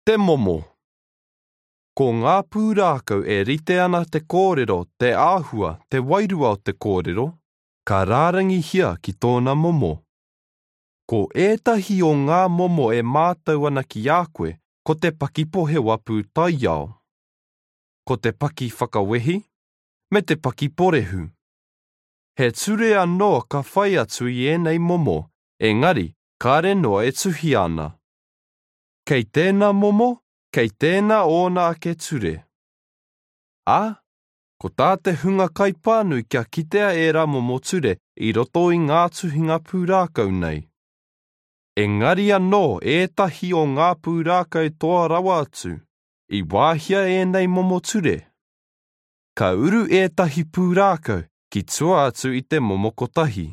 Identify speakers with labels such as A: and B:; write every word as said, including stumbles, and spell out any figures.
A: Te momo. Ko ngā pūrākau e rite ana te kōrero, te āhua, te wairua o te kōrero, ka rārangihia ki tōna momo. Ko ētahi o ngā momo e mātau ana ki a koe, ko te paki pohewa pūtaiao, ko te paki whakawehi, me te paki porehu. He ture anō ka whai atu i ēnei momo, engari kāre noa e tuhia ana. Kei tēnā momo, kei tēnā ōna ake ture. Ā, ko tā te hunga kaipānui kia kitea ērā momo ture i roto i ngā tuhinga pūrākau nei. Engari anō ētahi o ngā pūrākau toa rawa atu, i wāhia ēnei momo ture. Ka uru ētahi pūrākau ki tua atu i te momo kotahi.